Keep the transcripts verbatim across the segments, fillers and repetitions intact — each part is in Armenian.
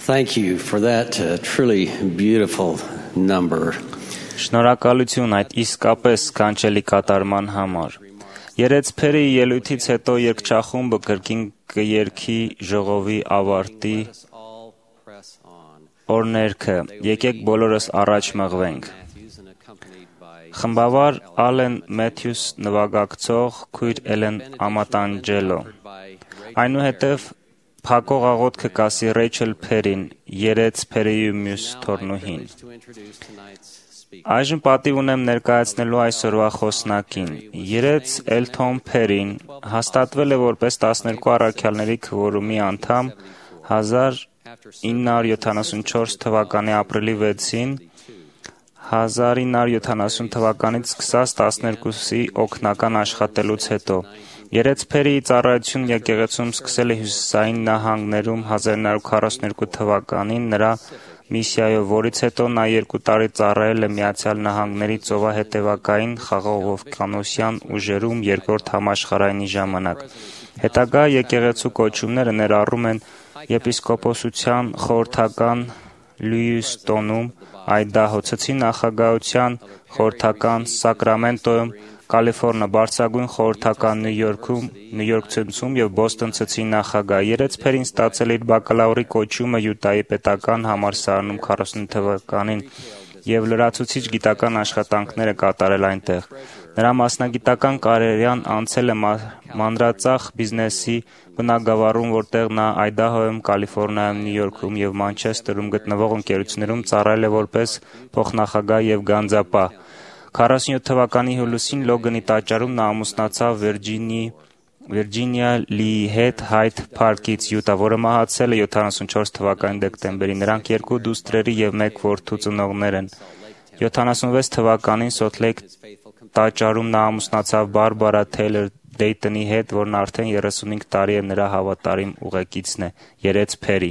Thank you for that uh, truly beautiful number. Շնորհակալություն այդ իսկապես կանչելի կատարման համար։ Երեցփերի ելույթից հետո երգչախումբը կրկին կերքի ժողովի ավարտի օրներքը։ Եկեք բոլորս առաջ մղվենք։ Խմբավար Ալեն Մեթյուս նվագակցող քույր Էլեն Ամատանջելո։ Այնուհետև փակող աղոթքը կասի Ռեյչել Փերին, երեցփերի մյուս թորնուհին։ Այժմ պատիվ ունեմ ներկայացնելու այսօրվա խոսնակին։ Երեց Էլթոն Փերին հաստատվել է որպես տասներկու առաքյալների քվորումի անդամ հազար ինը հարյուր յոթանասունչորս թվականի ապրիլի վեցին, հազար ինը հարյուր յոթանասուն թվականից սկսած տասներկուսի օգնական աշխատելուց հետո։ Երեցփերի ծառայությունն եկեղեցում սկսել է հյուսիսային նահանգներում հազար ինը հարյուր քառասուններկու թվականին նրա միսիայով, որից հետո նա երկու տարի ծառայել է Միացյալ Նահանգների ծովահետևակային խաղաղօվկիանոսյան ուժերում երկրորդ համաշխարհայինի ժամանակ։ Հետագա եկեղեցու կոչումները ներառում են եպիսկոպոսության խորհրդական Լյուիստոնում, Այդահո, Ցցի նախագահության խորհրդական Սակրամենտոյում, Կալիֆոռնիա բարձրագույն խորհրդական Նյու Յորքում, Նյու Յորք ցնցում եւ Բոստոն ցցի նախագահ։ Երեցփերին ստացել իր բակալավրի կոչումը Յուտայի պետական համալսարանում քառասուն թվականին եւ լրացուցիչ գիտական աշխատանքները կատարել այնտեղ։ Նրա մասնագիտական կարիերան անցել է մանրածախ բիզնեսի բնագավառում, որտեղ նա Այդահոյում, Կալիֆոռնիայում, Նյու Յորքում եւ Մանչեսթերում գտնվող ընկերություններում ծառայել է որպես փոխնախագահ եւ գանձապահ։ քառասունյոթ թվականի հուլիսին Լոգանի տաճարում նա ամուսնացավ Վիրջինի Վիրջինիա Լիի հետ Հայդ Փարքից, Յուտա, որը մահացել է յոթանասունչորս թվականի դեկտեմբերին։ Նրանք երկու դուստրերի եւ մեկ որդու ծնողներ են։ յոթանասունվեց թվականին Սոթլեյք տաճարում նա ամուսնացավ Բարբարա Թեյլոր Դեյտոնի հետ, որն արդեն երեսունհինգ տարի է նրա հավատարիմ ուղեկիցն է։ Երեցփերի։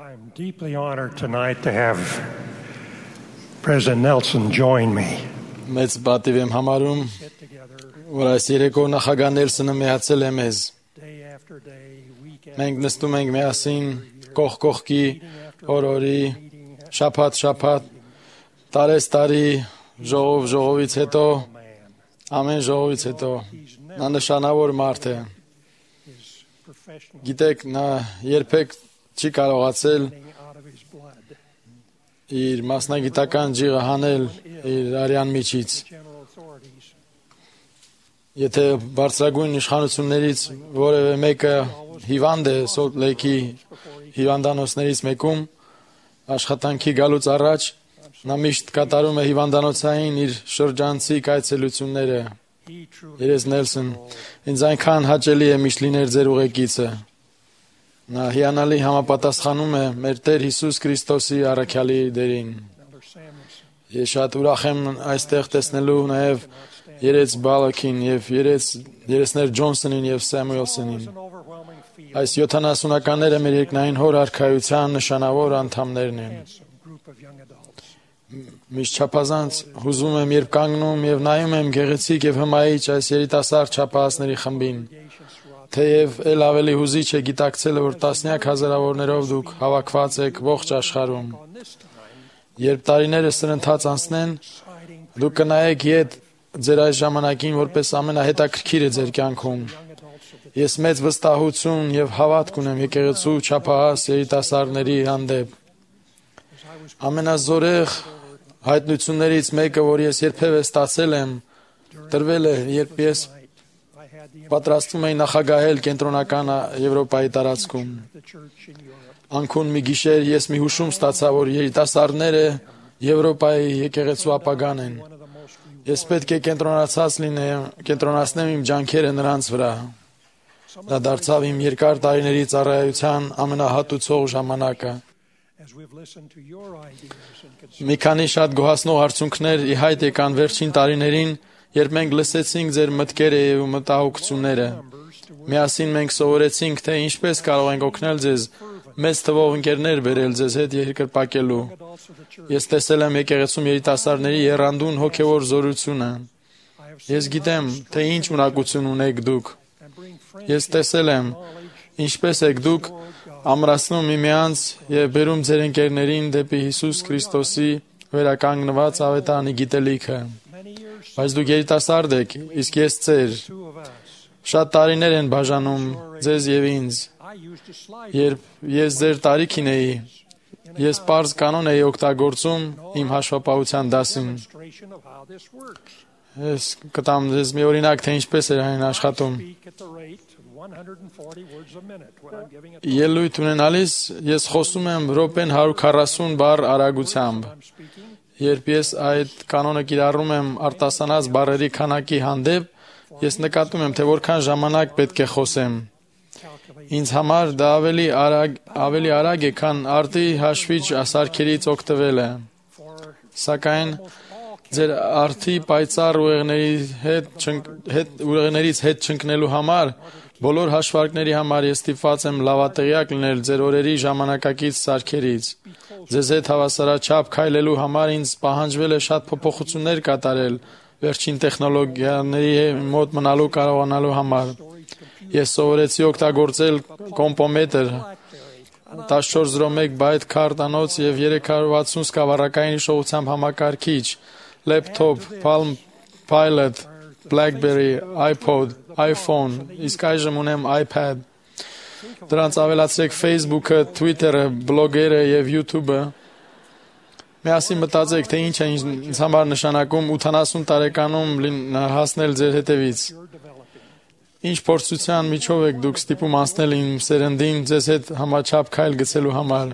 I'm deeply honored tonight to have President Nelson join me. Մեծ պատիվ եմ համարում, որ այս երեկո նախագահ Նելսոնը միացել է մեզ։ Մենք նստում ենք միասին կողք կողքի, օր-օրի, շաբաթ-շաբաթ, տարես-տարի, ժողով ժողովից հետո, ամեն ժողովից հետո, նա նշանավոր մարդ է։ Գիտեք, նա երբեք չի կարողացել իր մասնագիտական ջիղը հանել իր արյան միջից։ Եթե բարձրագույն իշխանություններից որևէ մեկը հիվանդ է Սոլտ Լեյքի հիվանդանոցներից մեկում, աշխատանքի գալուց առաջ նա միշտ կատարում է հիվանդանոցային իր շրջանցիկ այցելությունները։ Երես Նելսոն, ինձ այնքան հաճելի է միշտ լինել ձեր ուղեկիցը։ Նա հիանալի համապատասխանում է մեր Տեր Հիսուս Քրիստոսի առաքյալի դերին։ Ես շատ ուրախ եմ այստեղ տեսնելու նաև երեց Բալակին եւ երեց երեսներ Ջոնսոնին եւ Սամուելսոնին։ Այս յոթանասունականները մեր երկնային հոր արքայության նշանավոր անդամներն են։ Միշտ չափազանց հուզում եմ, երբ կանգնում եւ նայում եմ գեղեցիկ եւ հմայիչ այս երիտասարդ չափահասների խմբին։ Թեև էլ ավելի հուզիչ է գիտակցելը, որ տասնյակ հազարավորներով դուք հավաքված եք ողջ աշխարհում։ Երբ տարիները սրընթաց անցնեն, դուք կնայեք ետ ձեր այս ժամանակին որպես ամենահետաքրքիրը ձեր կյանքում։ Ես մեծ վստահություն եւ հավատք ունեմ եկեղեցու չափահաս երիտասարդների հանդեպ։ Ամենազորեղ հայտնություններից մեկը, որ ես երբևէ ստացել եմ, տրվել է, երբ ես պատրաստվում էի նախագահել կենտրոնական Եվրոպայի տարածքում։ Անկուն մի գիշեր ես մի հուշում ստացա, որ երիտասարդները Եվրոպայի եկեղեցու ապագան են։ Ես պետք է կենտրոնացած լինեմ, կենտրոնացնեմ իմ ջանքերը նրանց վրա։ Դա դարձավ իմ երկար տարիների ծառայության ամենահատուցող ժամանակը։ Մի քանի շատ գոհացնող արդյունքներ ի հայտ եկան վերջին տարիներին, երբ մենք լսեցինք ձեր մտքերը եւ մտահոգությունները։ Միասին մենք սովորեցինք, թե ինչպես կարող ենք օգնել ձեզ մեծ թվով ընկերներ բերել ձեզ հետ երկրպագելու։ Ես տեսել եմ եկեղեցում երիտասարդների եռանդուն հոգևոր զորությունը։ Ես գիտեմ, թե ինչ ունակություն ունեք դուք։ Ես տեսել եմ, ինչպես եք դուք ամրացնում միմյանց եւ բերում ձեր ընկերներին դեպի Հիսուս Քրիստոսի վերականգնված ավետարանի գիտելիքը։ Բայց դուք երիտասարդ եք, իսկ ես ծեր։ Շատ տարիներ են բաժանում ձեզ եւ ինձ։ Երբ ես ձեր տարիքին էի, ես պարզ կանոն էի օգտագործում իմ հաշվապահության դասին։ Ես կտամ ձեզ մի օրինակ, թե ինչպես էր այն աշխատում։ Ելույթ ունենալիս ես խոսում եմ րոպեն հարյուր քառասուն բառ արագությամբ։ Երբ ես այդ կանոնը կիրառում եմ արտասանած բառերի քանակի հանդեպ, ես նկատում եմ, թե որքան ժամանակ պետք է խոսեմ։ Ինձ համար դա ավելի արագ, ավելի արագ է, քան արտի հաշվիչ սարքերից օգտվելը։ Սակայն ձեր արտի պայծառ ուղեղների հետ, հետ ուղեղներից հետ չընկնելու համար, բոլոր հաշվարկների համար ես ստիպված եմ լավատեղյակ լինել ձեր օրերի ժամանակակից սարքերից։ Ձեզ հետ հավասարաչափ քայլելու համար ինձ պահանջվել է շատ փոփոխություններ կատարել վերջին տեխնոլոգիաների մոտ մնալու կարողանալու համար։ Ես սովորեցի օգտագործել կոմպոմետր, տասնչորս զրո մեկ բայթ քարտանոց եւ երեք հարյուր վաթսուն սկավառակային հիշողությամբ համակարգիչ, լեփթոփ, Palm Pilot, BlackBerry, iPod, iPhone, իսկ այժմ ունեմ iPad։ Դրանց ավելացրեք Facebook-ը, Twitter-ը, բլոգերը եւ YouTube-ը։ Միասին մտածեք, թե ինչ է ինձ համար նշանակում ութանասուն տարեկանում հասնել ձեր հետևից։ Ինչ փորձության միջով եք դուք ստիպում անցնել իմ սերնդին ձեզ հետ համաչափ քայլ գցելու համար։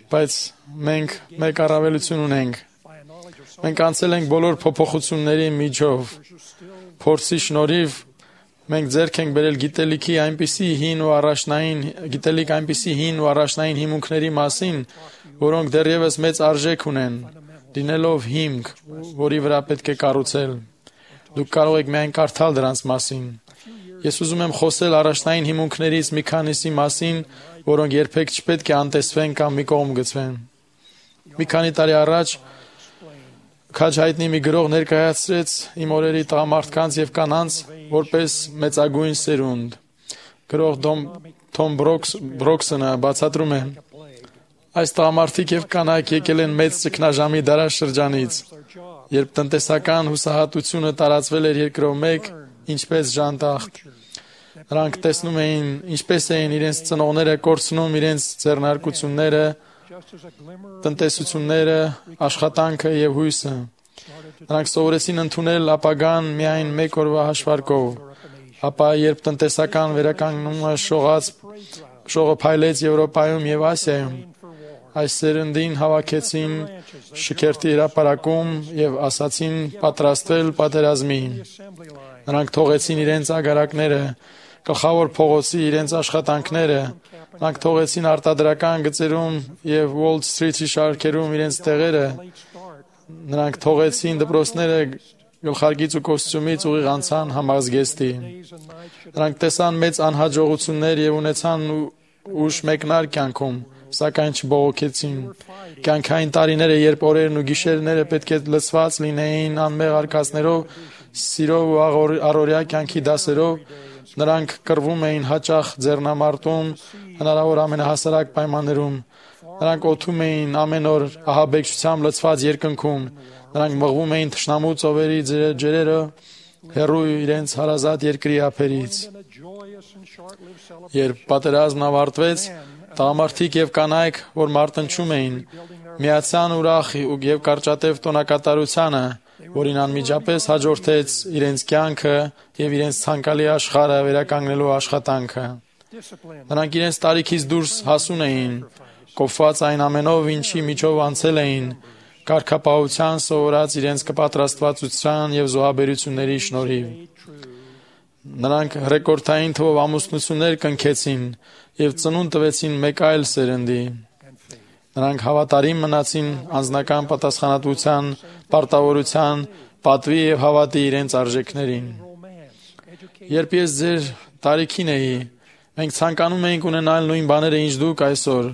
Բայց մենք մեկ առավելություն ունենք։ Մենք անցել ենք բոլոր փոփոխությունների միջով։ Փորձի շնորհիվ մենք ձեռք ենք բերել գիտելիքի այնպիսի հին ու առաջնային գիտելիք այնպիսի հին ու առաջնային հիմունքների մասին, որոնք դեռևս մեծ արժեք ունեն, լինելով հիմք, որի վրա պետք է կառուցել։ Դուք կարող եք միայն կարդալ դրանց մասին։ Ես ուզում եմ խոսել առաջնային հիմունքներից մի քանիսի մասին, որոնք երբեք չպետք է անտեսվեն կամ մի կողմ գցվեն։ Մի քանի տարի առաջ քաջ հայտնի մի գրող ներկայացրեց իմ օրերի տղամարդկանց եւ կանանց որպես մեծագույն սերունդ։ Գրող Թոմ Բրոքսոնը բացատրում է. այս տղամարդիկ եւ կանայք եկել են մեծ ճգնաժամի դարաշրջանից, երբ տնտեսական հուսահատությունը տարածվել էր երկրով մեկ, ինչպես ժանտախտ։ Նրանք տեսնում էին, ինչպես էին իրենց ծնողները կորցնում իրենց ձեռնարկությունները, տնտեսությունները, աշխատանքը եւ հույսը։ Նրանք սովորեցին ընդունել ապագան միայն մեկ օրվա հաշվարկով, ապա երբ տնտեսական վերականգնումը շողաց, շողը փայլեց Եվրոպայում եւ Ասիայում, այս սերնդին հավաքեցին շքերթի հրապարակում եւ ասացին պատրաստվել պատերազմի։ Նրանք թողեցին իրենց ագարակները, գլխավոր փողոցի իրենց աշխատանքները, նրանք թողեցին արտադրական գծերում եւ Wall Street-ի շարքերում իրենց տեղերը, նրանք թողեցին դպրոցները գլխարկից ու կոստյումից ուղիղ անցան համազգեստի։ Նրանք տեսան մեծ անհաջողություններ եւ ունեցան ուշ մեկնար կյանքում, սակայն չբողոքեցին։ Կյանքային տարիները, երբ օրերն ու գիշերները պետք է լցված լինեին անմեղ արկածներով, սիրով ու առօրյա կյանքի դասերով, նրանք կռվում էին հաճախ ձեռնամարտում, հնարավոր ամենահասարակ պայմաններում։ Նրանք օթում էին ամեն օր ահաբեկչությամբ լցված երկնքում, նրանք մղվում էին թշնամու ծովերի ջրերը, հեռու իրենց հարազատ երկրի ափերից։ Երբ պատերազմն ավարտվեց, տղամարդիկ եւ կանայք, որ մարտնչում էին, միացան ուրախ եւ կարճատև տոնակատարությանը, որին անմիջապես հաջորդեց իրենց կյանքը եւ իրենց ցանկալի աշխարհը վերականգնելու աշխատանքը։ Նրանք իրենց տարիքից դուրս հասուն էին, կոփված այն ամենով, ինչի միջով անցել էին, կարգապահության սովորած իրենց կպատրաստվածության եւ զոհաբերությունների շնորհիվ։ Նրանք ռեկորդային թվով ամուսնություններ կնքեցին եւ ծնունդ տվեցին մեկ այլ սերնդի։ Նրանք հավատարիմ մնացին անձնական պատասխանատվության, պարտավորության, պատվի եւ հավատի իրենց արժեքներին։ Երբ ես ձեր տարիքին էի, մենք ցանկանում էինք ունենալ նույն բաները, ինչ դուք այսօր։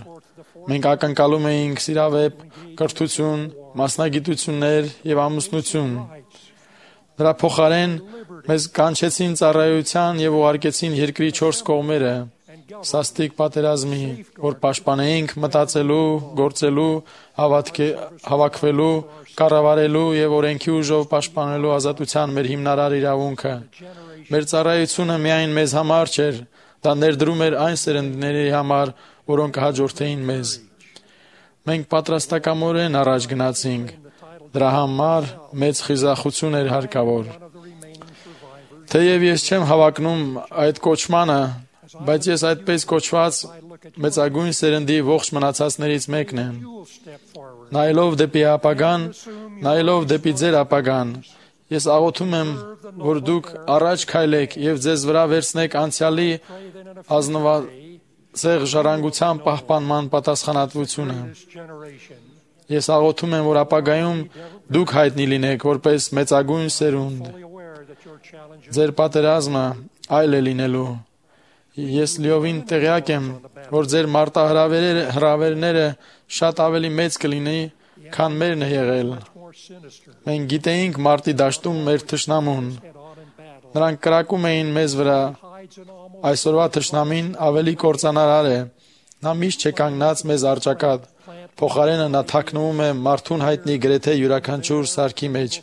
Մենք ակնկալում էինք սիրավեպ, կրթություն, մասնագիտություններ եւ ամուսնություն։ Դրա փոխարեն մեզ կանչեցին ծառայության եւ ուղարկեցին երկրի չորս կողմերը։ սաստիկ պատերազմի, որ պաշտպանեինք մտածելու, գործելու, հավատքի, հավաքվելու, կառավարելու եւ օրենքի ուժով պաշտպանելու ազատության մեր հիմնարար իրավունքը։ Մեր ծառայությունը միայն մեզ համար չէր, դա ներդրում էր այն սերնդների համար, որոնք հաջորդեին մեզ։ Մենք պատրաստակամորեն առաջ գնացինք։ Դրա համար մեծ խիզախություն էր հարկավոր։ Թեև ես չեմ հավակնում այդ կոչմանը, բայց ես այդպես կոչված մեծագույն սերնդի ողջ մնացածներից մեկն եմ։ Նայելով դեպի ապագան, նայելով դեպի ձեր ապագան, ես աղոթում եմ, որ դուք առաջ քայլեք եւ ձեզ վրա վերցնեք անցյալի ազնվացեղ ժառանգության պահպանման պատասխանատվությունը։ Ես աղոթում եմ, որ ապագայում դուք հայտնի լինեք որպես մեծագույն սերունդ։ Ձեր պատերազմը այլ է լինելու։ Ես լիովին տեղյակ եմ, որ ձեր մարտահրավերները շատ ավելի մեծ կլինի, քան մերն է եղել։ Մենք գիտեինք մարտի դաշտում մեր թշնամուն։ Նրանք կրակում էին մեզ վրա։ Այսօրվա թշնամին ավելի կործանարար է։ Նա միշտ չէ կանգնած մեզ առջակատ։ Փոխարենը նա թաքնվում է մարդուն հայտնի գրեթե յուրաքանչյուր սարքի մեջ։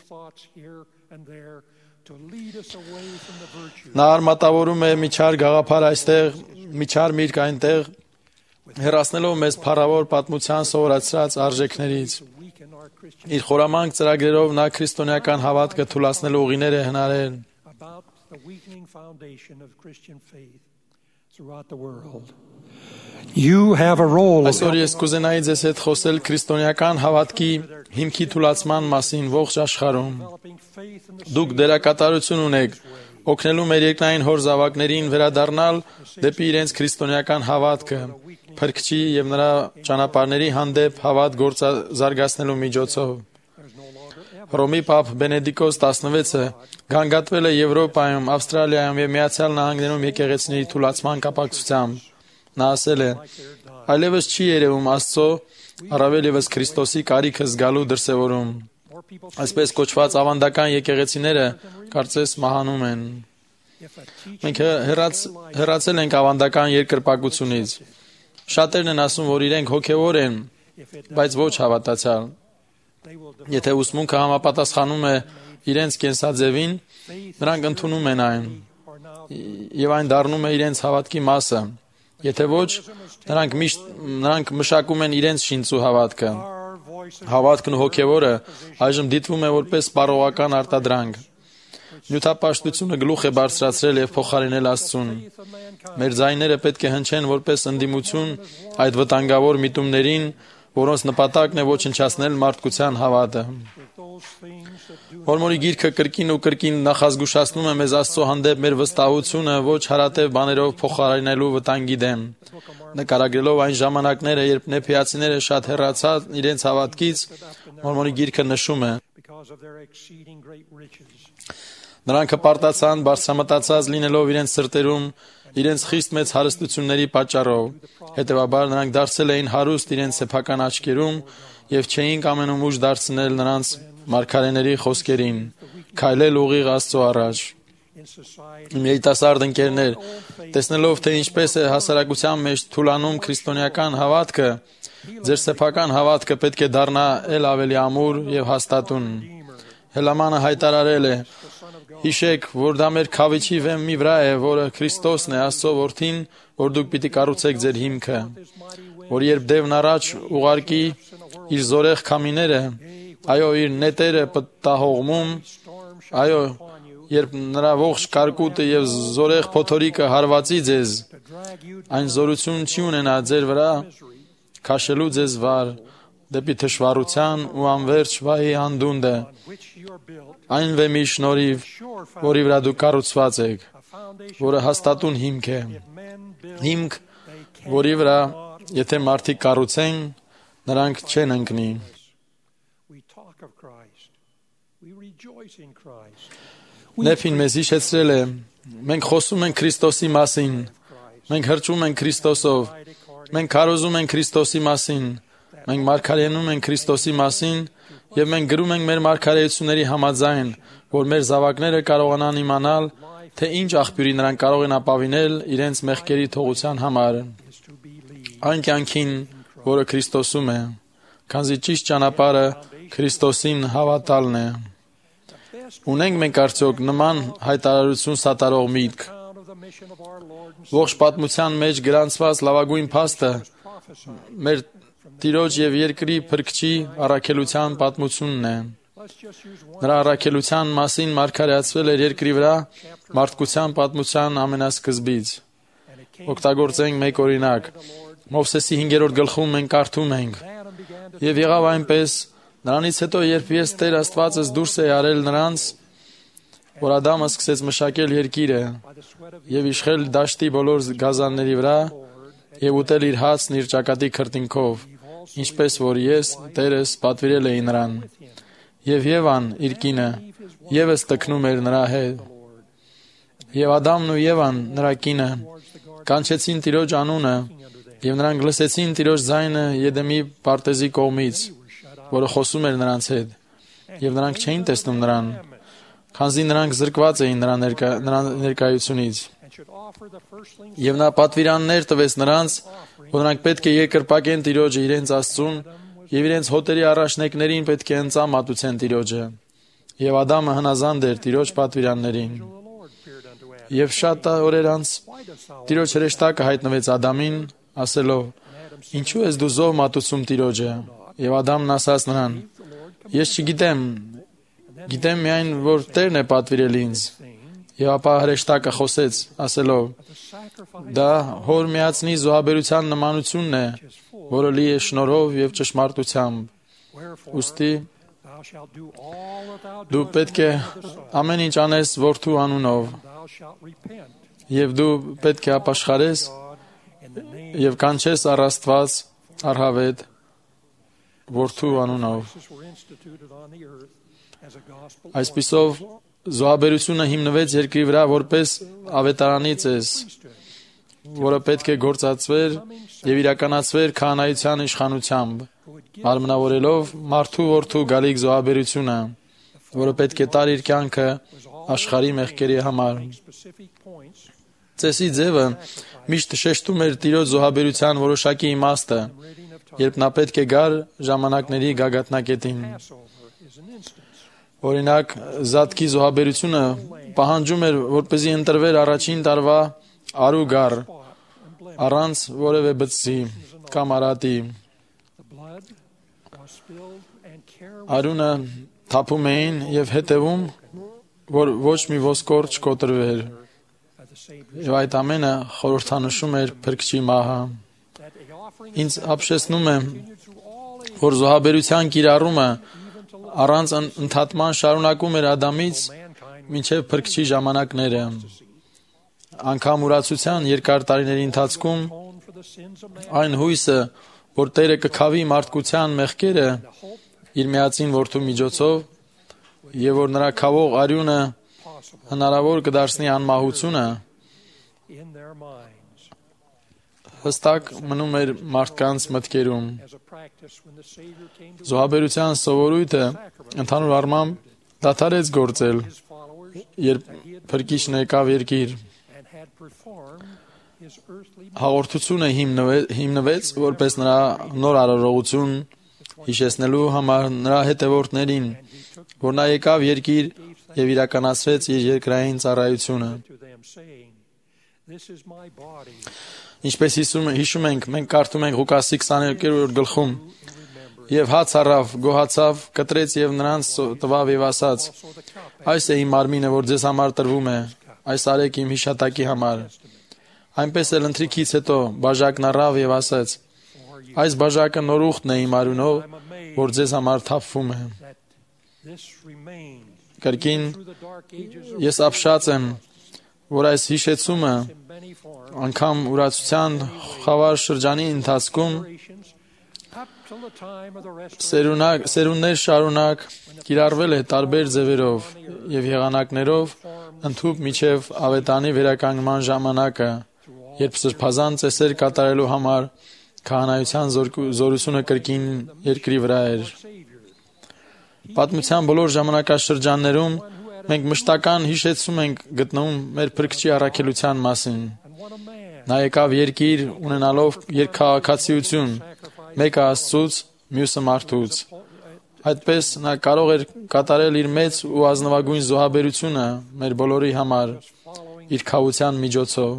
Նա արմատավորում է միջար գաղափար այստեղ, միջար միրգ այնտեղ, հեռացնելով մեզ փառավոր պատմության սովորացրած արժեքներից։ Իր խորամանկ ծրագրերով նա քրիստոնեական հավատքը թուլացնելու ուղիներ է հնարել։ You have a role. Այսօր ես կուզենայի ձեզ հետ խոսել քրիստոնեական հավատքի հիմքի թուլացման մասին ողջ աշխարհում։ Դուք դերակատարություն ունեք օգնելու մեր երկնային հոր զավակներին վերադառնալ դեպի իրենց քրիստոնեական հավատքը, Փրկչի եւ նրա ճանապարհների հանդեպ հավատ գործազարգացնելու միջոցով։ Հռոմի Պապ Բենեդիկոս տասնվեցը գանգատվել է Եվրոպայում, Ավստրալիայում եւ Միացյալ Նահանգներում եկեղեցիների թուլացման կապակցությամբ։ Նա ասել է. այլևս չի երևում Աստծո, առավել ևս Քրիստոսի կարիքը զգալու դրսևորում։ Այսպես կոչված ավանդական եկեղեցիները կարծես մահանում են։ Մենք հեռաց, հեռացել ենք ավանդական երկրպագությունից։ Շատերն են ասում, որ իրենք հոգևոր են, բայց ոչ հավատացյալ։ Եթե ուսմունքը համապատասխանում է իրենց կենսաձևին, նրանք ընդունում են այն, եւ այն դառնում է իրենց հավատքի մասը։ Եթե ոչ, նրանք միշտ նրանք մշակում են իրենց շինծու հավատքը։ Հավատքն ու հոգևորը այժմ դիտվում է որպես սպառողական արտադրանք։ Նյութապաշտությունը գլուխ է բարձրացրել եւ փոխարինել Աստծուն։ Մեր ձայները պետք է հնչեն որպես ընդդիմություն այդ վտանգավոր միտումներին, որոնց նպատակն է ոչնչացնել մարդկության հավատը։ Մորմոնի գիրքը կրկին ու կրկին նախազգուշացնում է մեզ Աստծո հանդեպ մեր վստահությունը ոչ հարատև բաներով փոխարինելու վտանգի դեմ, նկարագրելով այն ժամանակները, երբ նեփիացիները շատ հեռացան իրենց հավատքից, Մորմոնի գիրքը նշում է. նրանք հպարտացան բարձրամտածած լինելով իրենց սրտերում, իրենց խիստ մեծ հարստությունների պատճառով, հետևաբար նրանք դարձել էին հարուստ իրենց սեփական աչքերում եւ չէին կամենում ուժ դարձնել նրանց մարգարեների խոսքերին, քայլել ուղիղ Աստծո առաջ։ Իմ երիտասարդ ընկերներ, տեսնելով թե ինչպես է հասարակության մեջ թուլանում քրիստոնեական հավատքը, ձեր սեփական հավատքը պետք է դառնա ել ավելի ամուր եւ հաստատուն։ Հելամանը հայտարարել է. հիշեք, որ դա մեր քավիչի վեմի վրա է, որը Քրիստոսն է, Աստծո որդին, որ դուք պիտի կառուցեք ձեր հիմքը, որ երբ Դևն առաջ ուղարկի իր զորեղ քամիները, այո, իր նետերը պտտահողմում, այո, երբ նրա ողջ կարկուտը եւ զորեղ փոթորիկը հարվածի ձեզ, այն զորություն չի ունենա ձեր վրա քաշելու ձեզ վար դեպի թշվառության ու անverջ վայի անդունդը, այն վեմի շնորհիվ, որի վրա դուք կառուցված եք, որը հաստատուն հիմք է, հիմք, որի վրա, եթե մարդիկ կառուցեն, նրանք չեն ընկնի։ Նեփին մեզ հիշեցրել է, մենք խոսում ենք Քրիստոսի մասին, մենք հրճում ենք Քրիստոսով, մենք քարոզում ենք Քրիստոսի մասին, մենք մարգարենում ենք Քրիստոսի մասին Եվ մենք գրում ենք մեր մարգարեությունների համաձայն, որ մեր զավակները կարողանան իմանալ, թե ինչ աղբյուրի նրանք կարող են ապավինել իրենց մեղքերի թողության համար։ Այն կյանքին, որը Քրիստոսում է, քանզի ճիշտ ճանապարհը Քրիստոսին հավատալն է։ Ունենք մենք արդյոք նման հայտարարություն սատարող միտք։ Ողջ պատմության մեջ գրանցված լավագույն փաստը մեր Տիրոջ եւ երկրի փրկչի առաքելության պատմությունն է։ Նրա առաքելության մասին մարգարեացվել էր երկրի վրա մարդկության պատմության ամենասկզբից։ Օգտագործենք մեկ օրինակ։ Մովսեսի հինգերորդ գլխում մենք կարդում ենք. «Եվ եղավ այնպես, նրանից հետո, երբ ես Տեր Աստվածս դուրս է արել նրանց, որ Ադամը սկսեց մշակել երկիրը եւ իշխել դաշտի բոլոր գազանների վրա եւ ուտել իր հացն իր ճակատի քրտինքով, ինչպես որ ես Տերս պատվիրել էի նրան։ Եվ Եվան, իր կինը, եւս տքնում էր նրա հետ։ Եվ Ադամն ու Եվան, նրա կինը, կանչեցին Տիրոջ անունը, եւ նրանք լսեցին Տիրոջ ձայնը Եդեմի պարտեզի կողմից, որը խոսում էր նրանց հետ, եւ նրանք չէին տեսնում նրան, քանզի նրանք զրկված էին նրա ներկա, նրա ներկայությունից։ Եվ նա պատվիրաններ տվեց նրանց, որ նրանք պետք է երկրպագեն Տիրոջը իրենց Աստծուն եւ իրենց հոտերի առաջնեկներին պետք է ընծա մատուցեն Տիրոջը։ Եվ Ադամը հնազանդ էր Տիրոջ պատվիրաններին։ Եվ շատ օրեր անց Տիրոջ հրեշտակը հայտնվեց Ադամին, ասելով. «Ինչու ես դու զոհ մատուցում Տիրոջը»։ Եվ Ադամն ասաց նրան. «Ես չգիտեմ, գիտեմ միայն, որ Տերն է պատվիրել ինձ»։ Եվ ապա հրեշտակը խոսեց, ասելով. «Դա հոր միացնի զոհաբերության նմանությունն է, որը լի է շնորհով եւ ճշմարտությամբ։ Ուստի դու պետք է ամեն ինչ անես որդու անունով, եւ դու պետք է ապաշխարես եւ կանչես առ Աստված առհավետ որդու անունով»։ Այսպիսով զոհաբերությունը հիմնվեց երկրի վրա որպես ավետարանի ծես, որը պետք է գործածվեր եւ իրականացվեր քահանայության իշխանությամբ, մարմնավորելով մարդու որդու գալիք զոհաբերությունը, որը պետք է տար իր կյանքը աշխարհի մեղքերի համար։ Ծեսի ձևը միշտ շեշտում էր Տիրոջ զոհաբերության որոշակի իմաստը, երբ նա պետք է գար ժամանակների գագաթնակետին։ Օրինակ, Զատկի զոհաբերությունը պահանջում էր, որպեսզի ընտրվեր առաջին տարվա արու գառ, առանց որևէ բծի կամ արատի։ Արունը թափում էին եւ հետևում, որ ոչ մի ոսկոր չկոտրվեր։ Եվ այդ ամենը խորհրդանշում էր Փրկչի մահը։ Ինձ ապշեցնում է, որ զոհաբերության կիրառումը առանց ընդհատման շարունակում էր Ադամից մինչև Փրկչի ժամանակները։ Անգամ ուրացության երկար տարիների ընթացքում այն հույսը, որ Տերը կքավի մարդկության մեղքերը իր միածին որդու միջոցով եւ որ նրա քավող արյունը հնարավոր կդարձնի անմահությունը, հստակ մնում էր մարդկանց մտքերում։ Զոհաբերության սովորույթը ընդհանուր առմամբ դադարեց գործել, երբ Փրկիչն եկավ երկիր։ Հաղորդությունը հիմնվեց որպես նրա նոր արարողություն, հիշեցնելու համար նրա հետևորդներին, որ նա եկավ երկիր եւ իրականացրեց իր երկրային ծառայությունը։ Ինչպես հիշում ենք, մենք կարդում ենք Ղուկասի քսաներկերորդ գլխում. «Եվ հաց առավ, գոհացավ, կտրեց եւ նրանց տվավ եւ ասաց. այս է իմ մարմինը, որ ձեզ համար տրվում է, այս արեք իմ հիշատակի համար։ Այնպես էլ ընթրիքից հետո բաժակն առավ եւ ասաց. այս բաժակը նոր ուխտն է իմ արյունով, որ ձեզ համար թափվում է։ Կրկին ես ապշած եմ, որ այս հիշեցումը անգամ ուրացության խավար շրջանի ընթացքում սերունակ, սերուններ շարունակ կիրառվել է տարբեր ձևերով եւ եղանակներով ընդհուպ միջև ավետանի վերականգնման ժամանակը, երբ սրբազան ծեսեր կատարելու համար քահանայության զորությունը կրկին երկրի վրա էր։ Պատմության բոլոր ժամանակաշրջաններում մենք մշտական հիշեցում ենք գտնվում մեր Փրկչի առաքելության մասին։ Նա եկավ երկիր ունենալով երկքաղաքացիություն, մեկը Աստծուց, մյուսը մարդուց։ Այդպես նա կարող էր կատարել իր մեծ ու ազնվագույն զոհաբերությունը մեր բոլորի համար իր քավության միջոցով։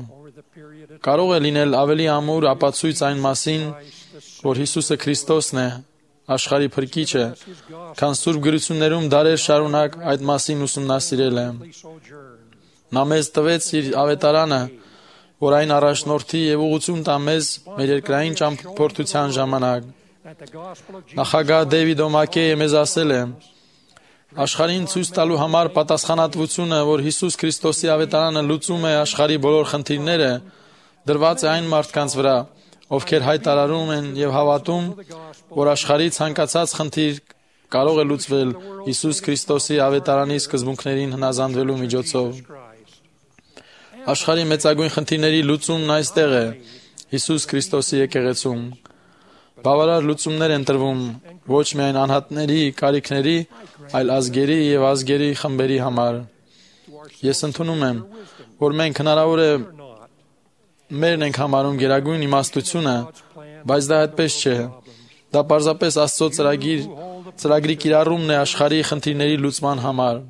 Կարող է լինել ավելի ամուր ապացույց այն մասին, որ Հիսուսը Քրիստոսն է, աշխարհի Փրկիչը, քան Սուրբ գրություններում դարեր շարունակ այդ մասին ուսումնասիրել է։ Նա մեզ տվեց իր ավետարանը, որ այն առաջնորդի եւ ուղղություն տա մեզ մեր երկրային ճամփորդության ժամանակ։ Նախագահ Դեյվիդ Օմակեյը մեզ ասել է. աշխարհին ցույց տալու համար պատասխանատվությունը, որ Հիսուս Քրիստոսի ավետարանը լուծում է աշխարհի բոլոր խնդիրները, դրված է այն մարդկանց վրա, ովքեր հայտարարում են եւ հավատում, որ աշխարհի ցանկացած խնդիր կարող է լուծվել Հիսուս Քրիստոսի ավետարանի սկզբունքներին հնազանդվելու միջոցով։ Աշխարհի մեծագույն խնդիրների լուծումն այստեղ է, Հիսուս Քրիստոսի եկեղեցում։ Բավարար լուծումներ են տրվում ոչ միայն անհատների կարիքների, այլ ազգերի եւ ազգերի խմբերի համար։ Ես ընդունում եմ, որ մենք հնարավոր է մերն ենք համարում գերագույն իմաստությունը, բայց դա այդպես չէ։ Դա պարզապես Աստծո ծրագիր, ծրագրի կիրառումն է աշխարհի խնդիրների լուծման համար։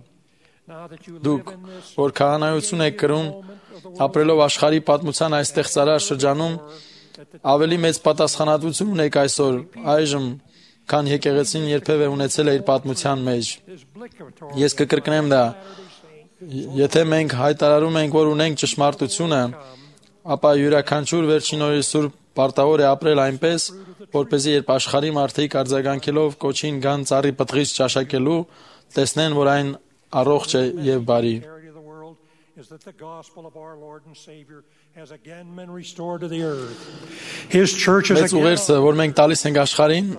Դուք, որ քահանայություն եք կրում, ապրելով աշխարհի պատմության այս ստեղծարար շրջանում, ավելի մեծ պատասխանատվություն ունեք այսօր, այժմ, քան եկեղեցին երբևէ ունեցել է իր պատմության մեջ։ Ես կկրկնեմ դա։ Եթե մենք հայտարարում ենք, որ ունենք ճշմարտությունը, ապա յուրաքանչյուր վերջին օրի Սուրբ պարտավոր է ապրել այնպես, որպեսզի երբ աշխարհի մարդիկ արձագանքելով կոչին գան ծառի պտղից ճաշակելու, տեսնեն, որ այն առողջ է եւ բարի։ Is that the gospel of our Lord and Savior has again been restored to the earth. His church is again. Ուղերձը, որ մենք տալիս ենք աշխարհին,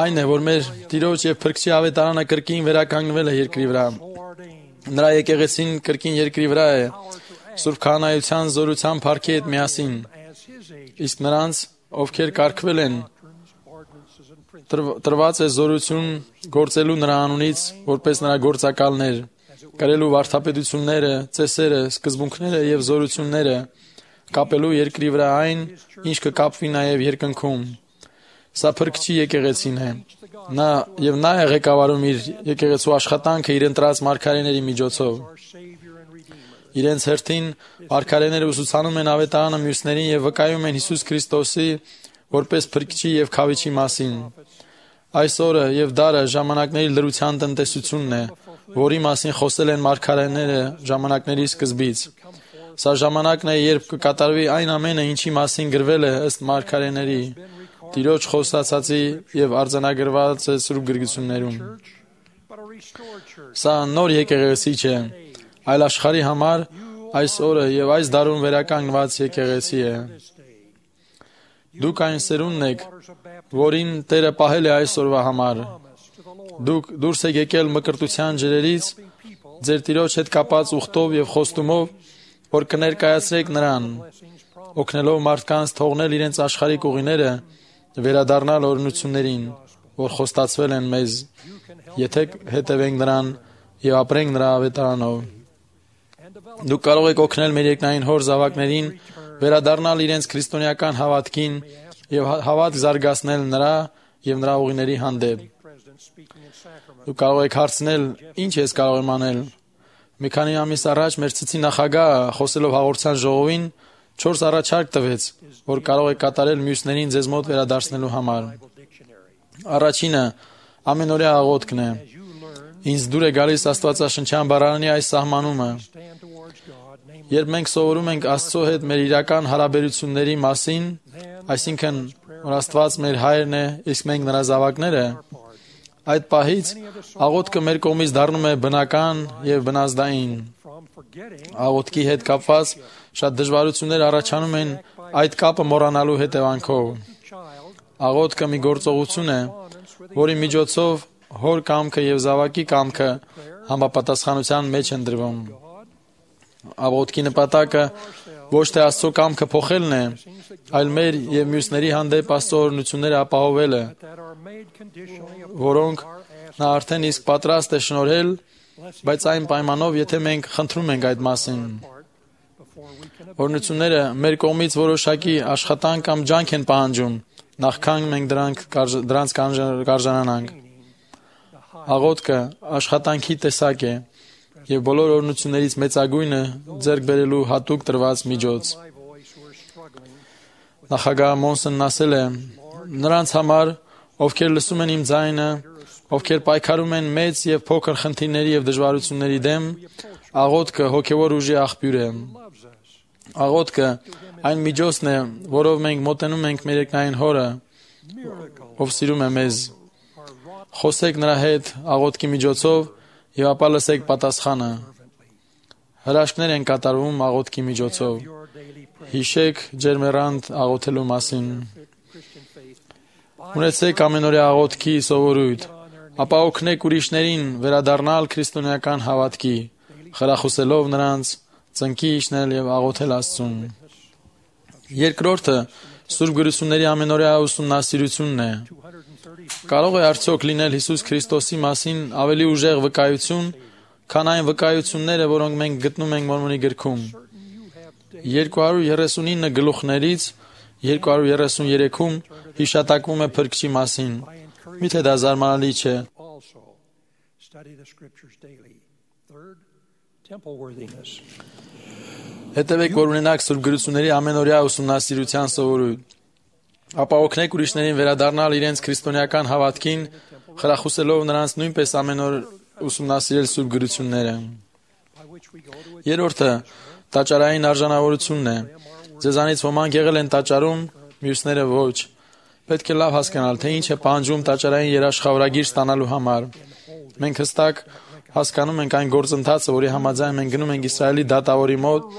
այն է, որ մեր Տիրոջ եւ Փրկչի ավետարանը կրկին վերականգնվել է երկրի վրա։ Նրա եկեղեցին կրկին երկրի վրա է, Սուրբ քահանայության զորության փառքի հետ միասին։ Իսկ նրանց, ովքեր կարգվել են, տրված է զորություն գործելու նրա անունից, որպես նրա գործակալներ, կրելու վարդապետությունները, ծեսերը, սկզբունքները եւ զորությունները, կապելու երկրի վրա այն, ինչ կկապվի նաեւ երկնքում։ Սա Փրկչի եկեղեցին է։ Նա եւ նա է ղեկավարում իր եկեղեցու աշխատանքը իր ընտրած մարգարեների միջոցով։ Իրենց հերթին մարգարեները ուսուցանում են ավետարանը մյուսներին եւ վկայում են Հիսուս Քրիստոսի որպես Փրկչի եւ Քավիչի մասին։ Այս օրը եւ դարը ժամանակների լրության տնտեսությունն է, որի մասին խոսել են մարգարեները ժամանակների սկզբից։ Սա ժամանակն է, երբ կկատարվի այն ամենը, ինչի մասին գրվել է ըստ մարգարեների, Տիրոջ խոստացածի եւ արձանագրված է Սուրբ գրգություններում։ Սա նոր եկեղեցի չէ, այլ աշխարհի համար այս օրը եւ այս դարում վերականգնված եկեղեցի է։ Դուք այն սերունդն եք, որին Տերը պահել է այս օրվա համար։ Դուք դուրս եք եկել մկրտության ջրերից, ձեր Տիրոջ հետ կապած ուխտով եւ խոստումով, որ կներկայացրեք նրան, օգնելով մարդկանց թողնել իրենց աշխարհիկ ուղիները, վերադառնալ օրհնություններին, որ խոստացվել են մեզ, եթե հետևենք նրան եւ ապրենք նրա ավետարանով։ Դուք կարող եք օգնել մեր երկնային Հոր զավակներին վերադառնալ իրենց քրիստոնեական հավատքին եւ հավատ զարգացնել նրա եւ նրա ուղիների հանդեպ։ Դուք կարող եք հարցնել, ինչ ես կարող եմ անել։ Մի քանի ամիս առաջ մեր ցցի նախագահը խոսելով հաղորդության ժողովին չորս առաջարկ տվեց, որ կարող եք կատարել մյուսներին ձեզ մոտ վերադարձնելու համար։ Առաջինը ամենօրյա աղոթքն է։ Ինձ դուր է գալիս Աստվածաշնչյան բառարանի այս սահմանումը. երբ մենք սովորում ենք Աստծո հետ մեր իրական հարաբերությունների մասին, այսինքն որ Աստված մեր հայրն է, իսկ մենք նրա զավակները, այդ պահից աղոթքը մեր կողմից դառնում է բնական եւ բնազդային։ Աղոթքի հետ կապված շատ դժվարություններ առաջանում են այդ կապը մոռանալու հետևանքով։ Աղոթքը մի գործողություն է, որի միջոցով հոր կամքը եւ զավակի կամքը համապատասխանության մեջ են դրվում։ Աղոթքի նպատակը ոչ թե Աստծո կամքը փոխելն է, այլ մեր եւ մյուսների հանդեպ Աստծո օրհնությունները ապահովելը, որոնք Նա արդեն իսկ պատրաստ է շնորհել, բայց այն պայմանով, եթե մենք խնդրում ենք այդ մասին։ Օրհնությունները մեր կողմից որոշակի աշխատանք կամ ջանք են պահանջում, նախքան մենք դրանք դրանց կարժանանանք։ Աղոթքը աշխատանքի տեսակ է եւ բոլոր օրհնություններից մեծագույնը ձեռք բերելու հատուկ տրված միջոց։ Նախագահ Մոնսոնն ասել է. նրանց համար, ովքեր լսում են իմ ձայնը, ովքեր պայքարում են մեծ եւ փոքր խնդիրների եւ դժվարությունների դեմ, աղոթքը հոգեվոր ուժի աղբյուր է։ Աղոթքը այն միջոցն է, որով մենք մոտենում ենք մեր երկնային Հորը, ով սիրում է մեզ։ Խոսեք նրա հետ աղոթքի միջոցով եւ ապա լսեք պատասխանը։ Հրաշքներ են կատարվում աղոթքի միջոցով։ Հիշեք ջերմեռանդ աղոթելու մասին։ Ունեցեք ամենօրյա աղոթքի սովորույթ, ապա օգնեք ուրիշներին վերադառնալ քրիստոնեական հավատքի, խրախուսելով նրանց ծնկի իջնել եւ աղոթել Աստծուն։ Երկրորդը Սուրբ Գրությունների ամենօրյա ուսումնասիրությունն է։ Կարող է արդյոք լինել Հիսուս Քրիստոսի մասին ավելի ուժեղ վկայություն, քան այն վկայությունները, որոնք մենք գտնում ենք Մորմոնի գրքում։ երկու հարյուր երեսունինը գլուխներից երկու հարյուր երեսուներեքում հիշատակվում է Փրկչի մասին։ Միթե դա զարմանալի չէ։ Հետևեք, որ ունենաք Սուրբ Գրությունների ամենօրյա ուսումնասիրության սովորույթ, ապա օգնեք ուրիշներին վերադառնալ իրենց քրիստոնեական հավատքին, խրախուսելով նրանց նույնպես ամեն օր ուսումնասիրել Սուրբ Գրությունները։ Երրորդը տաճարային արժանավորությունն է։ Ձեզանից ոմանք եղել են տաճարում, մյուսները ոչ։ Պետք է լավ հասկանալ, թե ինչ է պահանջում տաճարային երաշխավորագիր ստանալու համար։ Մենք հստակ հասկանում ենք այն գործընթացը, որի համաձայն մենք գնում ենք Իսրայելի դատավորի մոտ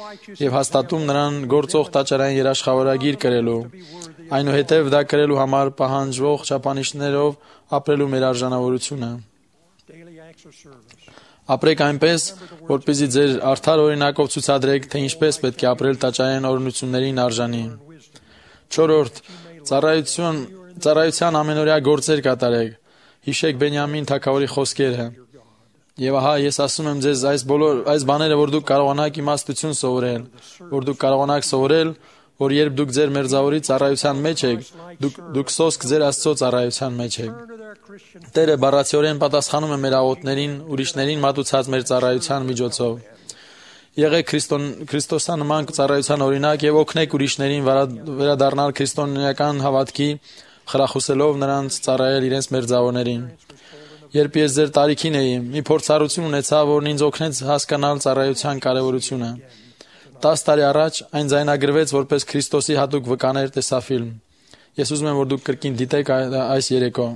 եւ հաստատում նրան գործող տաճարային երաշխավորագիր կրելու։ Այնուհետև դա կրելու համար պահանջվող չափանիշներով ապրելու մեր արժանավորությունը։ Ապրեք այնպես, որպեսզի ձեր արդար օրինակով ցուցադրեք, թե ինչպես պետք է ապրել տաճարային օրհնություններին արժանի։ Չորրորդ ծառայություն ծառայության ամենօրյա գործեր կատարեք։ Հիշեք Բենյամին թագավորի խոսքերը։ Եվ ահա ես ասում եմ ձեզ այս բոլոր այս բաները, որ դուք կարողանաք իմաստություն սովորել, որ դուք կարողանաք սովորել, որ երբ դուք ձեր մերձավորի ծառայության մեջ եք, դուք դուք սոսկ ձեր Աստծո ծառայության մեջ եք։ Տերը բառացիորեն պատասխանում է մեր աղոթներին, ուրիշներին մատուցած մեր ծառայության միջոցով։ Եղեք քրիստոսանման ծառայության օրինակ եւ օգնեք ուրիշներին վերադառնալ քրիստոնեական հավատքի, խրախուսելով նրանց ծառայել իրենց մերձավորներին։ Երբ ես ձեր տարիքին էի, մի փորձառություն ունեցա, որն ինձ օգնեց հասկանալ ծառայության կարևորությունը։ տասը տարի առաջ այն ձայնագրվեց որպես Քրիստոսի հատուկ վկաներ տեսաֆիլմ։ Ես ուզում եմ, որ դուք կրկին դիտեք այս երեկո։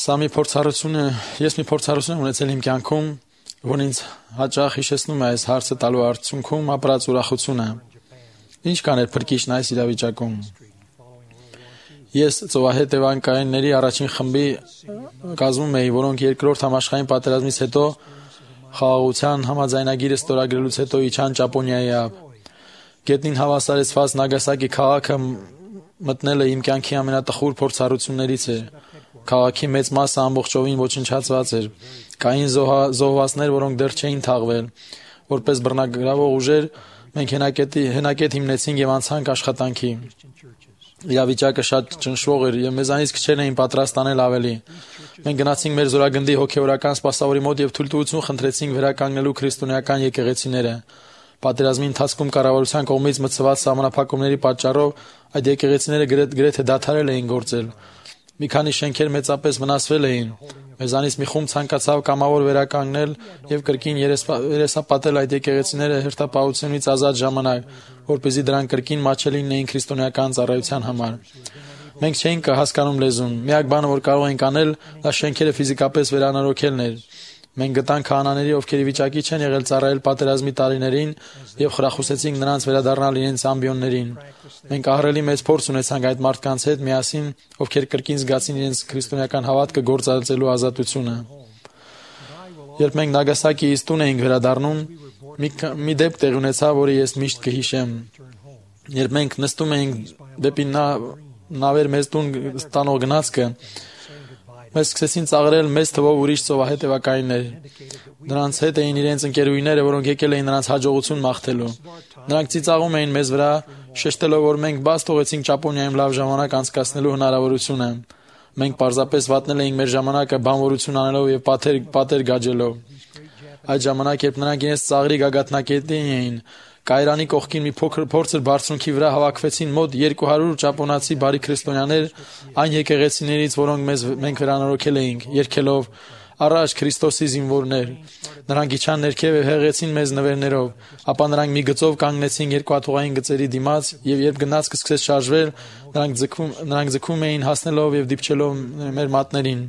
Սա մի փորձառություն է, ես մի փորձառություն եմ ունեցել իմ կյանքում, որն ինձ հաճախ հիշեցնում է այս հարցը տալու արդյունքում ապրած ուրախությունը։ Ինչ կաներ Փրկիչն այս իրավիճակում։ Ես ծովահետևանքայինների առաջին խմբի կազմում էի, որոնք երկրորդ համաշխարհային պատերազմից հետո խաղաղության համաձայնագիրը ստորագրելուց հետո իջան Ճապոնիայի ափ։ Գետնին հավասարեցված Նագասակի քաղաքը մտնելը իմ կյանքի ամենատխուր փորձառություններից է։ Քաղաքի մեծ մասը ամբողջովին ոչնչացված էր։ Կային զոհվածներ, որոնք դեռ չէին թաղվել։ Որպես բռնագրավող ուժեր մենք հենակետի հենակետ հիմնեցինք եւ անցանք աշխատանքի։ Իրավիճակը շատ ճնշվող էր եւ մեզանից քչերն էին պատրաստ անել ավելի։ Մենք գնացինք մեր զորագնդի հոգեորական սպասավորի մոտ եւ թույլտվություն խնդրեցինք վերականգնելու քրիստոնեական եկեղեցիները։ Պատերազմի ընթացքում կառավարության կողմից մտցված սահմանափակումների պատճառով այդ եկեղեցիները գրեթե դադարել էին գործել։ Մի քանի շենքեր մեծապես վնասվել էին։ Մեզանից մի խումբ ցանկացավ կամավոր վերականգնել եւ կրկին երեսապատել այդ եկեղեցիները հերթապահությունից ազատ ժամանակ, որպեսզի դրանք կրկին մաչելի լինեին քրիստոնեական ծառայության համար։ Մենք չէինք հասկանում լեզուն։ Միակ բանը, որ կարող ենք անել, դա շենքերը ֆիզիկապես վերանորոգելն էր։ Մենք գտանք քահանաների, ովքեր ի վիճակի չեն եղել ծառայել պատերազմի տարիներին եւ խրախուսեցինք նրանց վերադառնալ իրենց ամբիոններին։ Մենք ահռելի մեծ փորձ ունեցանք այդ մարդկանց հետ միասին, ովքեր կրկին զգացին իրենց քրիստոնեական հավատքը գործածելու ազատությունը։ Երբ մենք Նագասակիից տուն էինք վերադառնում, մի, մի դեպք տեղի ունեցավ, որը ես միշտ կհիշեմ։ Երբ մենք նստում էինք դեպի նա նավեր մեզ տուն տանող գնացքը մեզ սկսեցին ծաղրել մեծ թվով ուրիշ ծովահետևակայիններ։ Նրանց հետ էին իրենց ընկերուհիները, որոնք եկել էին նրանց հաջողություն մաղթելու։ Նրանք ծիծաղում էին մեզ վրա, շեշտելով, որ մենք բաց թողեցինք Ճապոնիայում լավ ժամանակ անցկացնելու հնարավորությունը։ Մենք պարզապես վատնել էինք մեր ժամանակը բանվորություն անելով եւ պատեր պատեր գաջելով։ Այդ ժամանակ, երբ նրանք իրենց ծաղրի գագաթնակետի էին, Կայրանի կողքին մի փոքր փորձր բարձունքի վրա հավաքվեցին մոտ երկու հարյուր ճապոնացի բարի քրիստոնյաներ այն եկեղեցիներից, որոնք մեզ մենք վերանորոգել էինք, երգելով «Առաջ Քրիստոսի զինվորներ»։ Նրանք իջան ներքև եւ հեղեցին մեզ նվերներով, ապա նրանք մի գծով կանգնեցին երկաթուղային գծերի դիմաց եւ երբ գնացքը սկսեց շարժվել, նրանք ձգվում նրանք ձգվում էին հասնելով եւ դիպչելով մեր մատներին։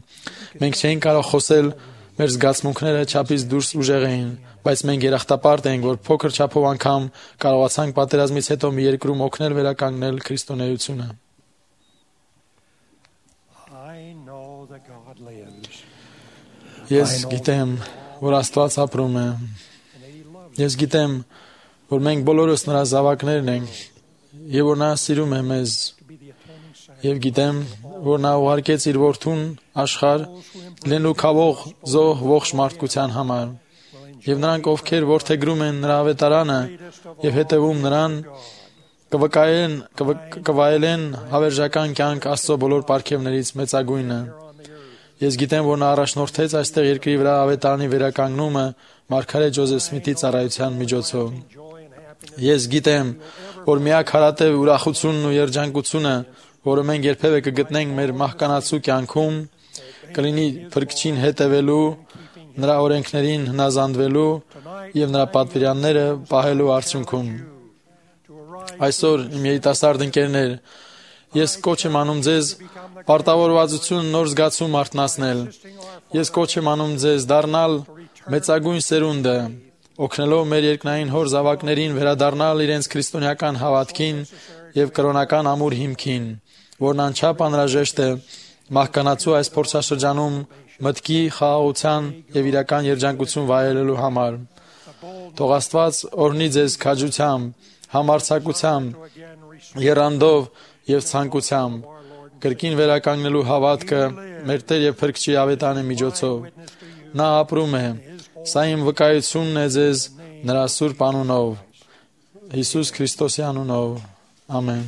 Մենք չէինք կարող խոսել, մեր զգացմունքները չափից դուրս ուժեղ էին, բայց մենք երախտապարտ ենք, որ փոքր չափով անգամ կարողացանք պատերազմից հետո մի երկրում օգնել վերականգնել քրիստոնեությունը։ Ես գիտեմ, որ Աստված ապրում է։ Ես գիտեմ, որ մենք բոլորս նրա զավակներն ենք, եւ որ նա սիրում է մեզ։ Եվ գիտեմ, որ նա ուղարկեց իր որդուն աշխարհ լինելու քավող զոհ ողջ մարդկության համար։ Եվ նրանք, ովքեր որդեգրում են նրա ավետարանը եւ հետևում նրան, կվկայեն կվայելեն հավերժական կյանք Աստծո բոլոր պարգևներից մեծագույնը։ Ես գիտեմ, որ նա առաջնորդեց այստեղ երկրի վրա ավետարանի վերականգնումը Մարգարետ Ջոզեֆ Սմիթի ծառայության միջոցով։ Ես գիտեմ, որ միակ հարատև ուրախությունն ու երջանկությունը, որը մենք երբևէ կգտնենք մեր մահկանացու կյանքում, կլինի Փրկչին հետևելու, նրա օրենքներին հնազանդվելու եւ նրա պատվիրանները պահելու արդյունքում։ Այսօր, իմ երիտասարդ ընկերներ, ես կոչ եմ անում ձեզ պարտավորվածություն նոր զգացում արթնացնել։ Ես կոչ եմ անում ձեզ դառնալ մեծագույն սերունդը, օգնելով մեր երկնային հոր զավակներին վերադառնալ իրենց քրիստոնեական հավատքին եւ կրոնական ամուր հիմքին, որն անչափ անհրաժեշտ է մահկանացու այս փորձաշրջանում մտքի, խաղաղության եւ իրական երջանկություն վայելելու համար։ Թող Աստված օրհնի ձեզ քաջությամբ, համարձակությամբ, եռանդով եւ ցանկությամբ կրկին վերականգնելու հավատքը մեր Տեր եւ Փրկչի ավետարանի միջոցով։ Նա ապրում է։ Սա իմ վկայությունն է ձեզ նրա սուրբ անունով, Հիսուս Քրիստոսի անունով։ Ամեն։